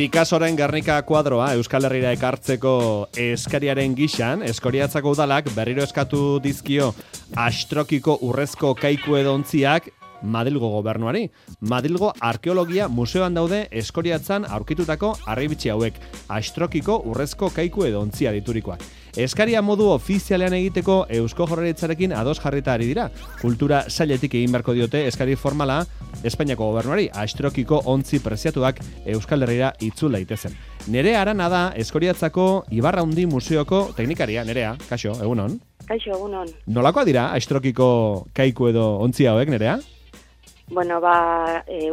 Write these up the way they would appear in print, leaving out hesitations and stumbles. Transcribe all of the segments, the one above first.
Picassoren Gernika kuadroa Euskal Herrira ekartzeko eskariaren gixan, Eskoriatzako udalak berriro eskatu dizkio Astrokiko urrezko kaiku edontziak Madrilgo gobernuari. Madrilgo Arkeologia Museoan daude Eskoriatzan aurkitutako harribitxi hauek, Astrokiko urrezko kaiku edontzia diturikoak. Eskaria modu ofizialean egiteko Eusko Jaurlaritzarekin ados jarrita ari dira. Kultura sailetik egin beharko diote eskari formala Espainiako gobernuari, Astrokiko ontzi preziatuak Euskal Herrira itzul daitezen. Nerea Arana da Eskoriatzako Ibarraundi Museoko teknikaria. Nerea, kaixo, egunon. Kaixo, egunon. Nolakoa dira Astrokiko kaiku edo ontzi hauek, Nerea? Bueno,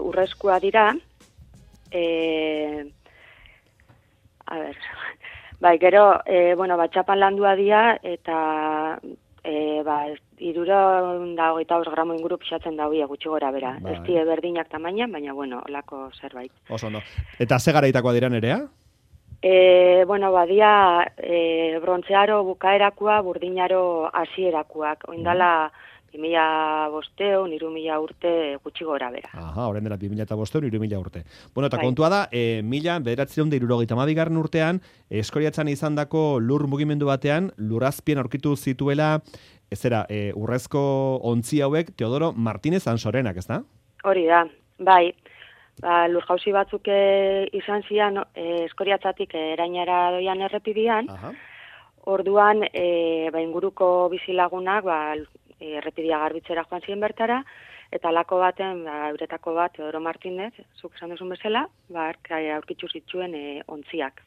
urrezkoa dira. Gero, txapan landua dira, eta 325 gramo inguru pixatzen dauia gutxi gora bera. Ez die berdinak tamainan, baina, olako zerbait. Oso ondo. Eta ze garaitakoa dira, Nerea? Badia brontzearo bukaerakoa, burdinaro hasierakoak. Oindala 2005, 2000 urte gutxi gora bera. Aha, horren dela 2005, 2000 urte. Bueno, eta kontua da, 1972 urtean, Eskoriatzan izandako lur mugimendu batean, lurazpien aurkitu zituela, urrezko ontzi hauek Teodoro Martínez Ansorenak, ez da? Hori da, bai. Lur jauzi batzuk izan zian Eskoriatzatik erainara doian errepidian. Aha. Orduan, inguruko bizilagunak, errepidia garbitzera joan ziren bertara, eta lako baten, euretako bat, Teodoro Martínez, zuk esan duzun bezala, aurkitzu zituen ontziak.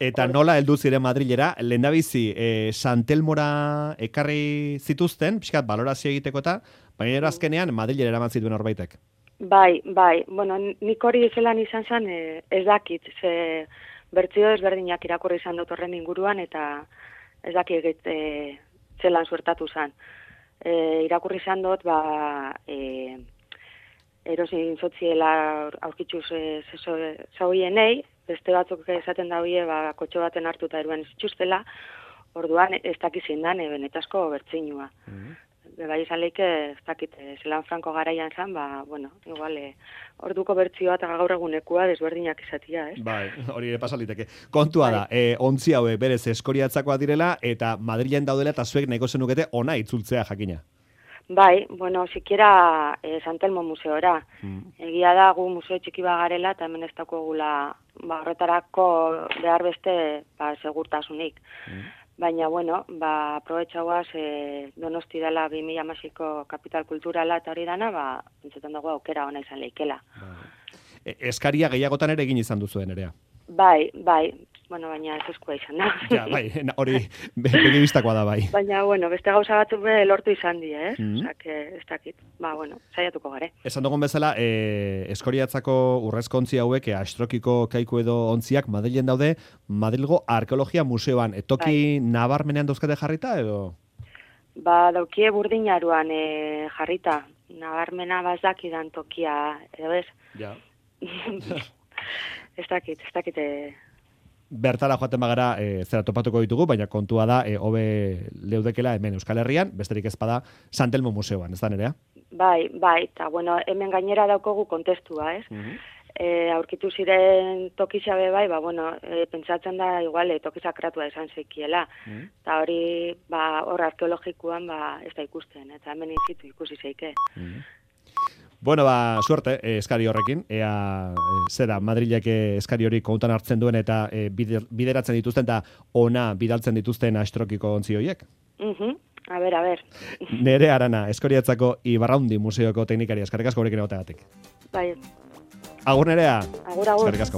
Eta nola heldu ziren Madrilera, lehendabizi Santelmora ekarri zituzten, pixkat balorazio egiteko eta, baina azkenean Madrilera eraman zituen horbaitek. Bai, nik hori zelan izan zen, ez dakit, ze bertzio ezberdinak irakurri izan dut horren inguruan, eta ez dakit zelan suertatu zen. Irakurri izan dut, erosin zotziela aurkitxuz zauienei, beste batzuk esaten dauie, kotxo baten hartuta eruan zituztela, orduan ez dakizien dan, benetazko bertzinua. Bai izan leike, ez dakit, zelan franko garaian zen, igual, orduko bertzioa eta gaur egunekua desberdinak izatia, ez? Bai, hori pasaliteke. Kontua da, ontzi hauek berez Eskoriatzakoa direla, eta Madrilen daudela eta zuek nahiko zenukete ona itzultzea jakina. Bai, sikiera Santelmo museora. Egia da, gu museo txiki bagarela, eta hemen ez daukagula horretarako behar beste segurtasunik. Baina, aprobetxauaz, Donosti dela 2016ko kapital kulturala eta hori dana, entzetan dago aukera ona izan leikela. Eskaria gehiagotan ere egin izan duzuen, Nerea? Bai, baina ez eskua izan da. Ja, hori begibistakoa da, bai. Baina, beste gauza batzuk lortu izan di, ez? Osak, ez dakit. Saiatuko gare. Esan dugun bezala, Eskoriatzako urrezko ontzi hauek, Astrokiko kaiku edo ontziak Madrilen daude, Madrilgo Arkeologia Museoan. Toki nabarmenean dauzkate jarrita, edo? Daukie burdinaruan jarrita. Nabarmena bazakidan tokia, edo ez? Ja. Ez dakit. Bertara joaten bagara zera topatuko ditugu, baina kontua da hobe leudekela hemen Euskal Herrian, besterik ezpada Santelmo Museoan, ez da, Nerea? Bai, eta hemen gainera daukogu kontestua, ez? Aurkitu ziren tokizabe bai, pentsatzen da igual tokizakratua izan zeikiela. Eta hori, hor arkeologikoan ez da ikusten, eta hemen inzitu ikusi zeike. Bueno, suerte eskari horrekin, ea zera Madrilek eskari hori kontan hartzen duen eta bideratzen dituzten eta ona bidaltzen dituzten Astrokiko ontzi horiek. A ber. Nerea Arana, Eskoriatzako Ibarraundi Museoko teknikaria, eskerrik asko horrekin egoteagatik. Bai. Agur, Nerea. Agur. Eskerrik asko.